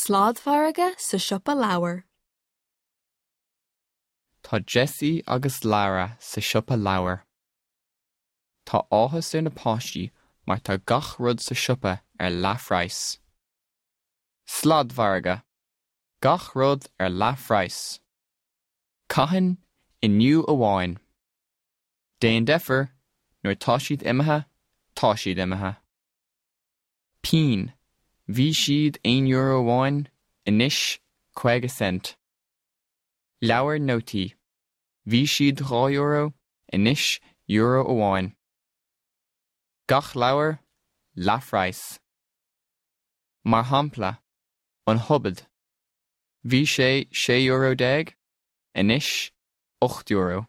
Sladmhargadh sa siopa leabhar. Tá Jessie agus Lara sa siopa leabhar. Tá áthas ar na páistí mar tá gach rud sa siopa ar leathphraghas. Sladmhargadh. Gach rud ar leathphraghas. Cathain? Inniu amháin. Déan deifir, nuair tá siad imithe, tá siad imithe. Pinn, bhí siad €1 amháin, anois 50 cent. Leabhar nótaí, bhí siad €2, anois €1. Gach leabhar, leathphraghas. Mar shampla, An Hobbit, bhí sé €16, anois €8.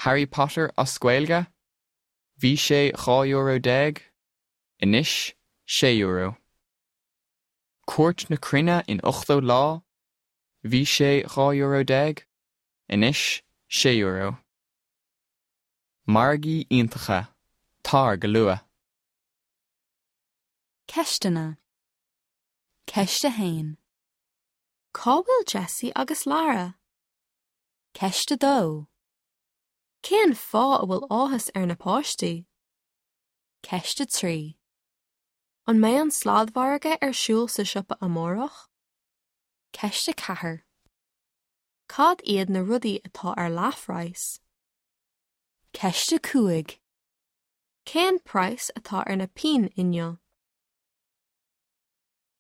Harry Potter as Gaeilge, bhí sé €12, anois €6. Cuairt na Cruinne in 80 lá, bhí sé €12, anois €6. Margaí iontacha, tar go luath! Ceisteanna. Ceist 1. Cá bhfuil Jessie agus Lara? Ceist 2. Cén fáth a bhfuil áthas ar na páistí? Ceist 3. An mbeidh an sladmhargadh ar siúl sa siopa amárach? Ceist 4. Cad iad na rudaí atá ar leathphraghas? Ceist 5. Cén praghas atá ar na pinn inniu?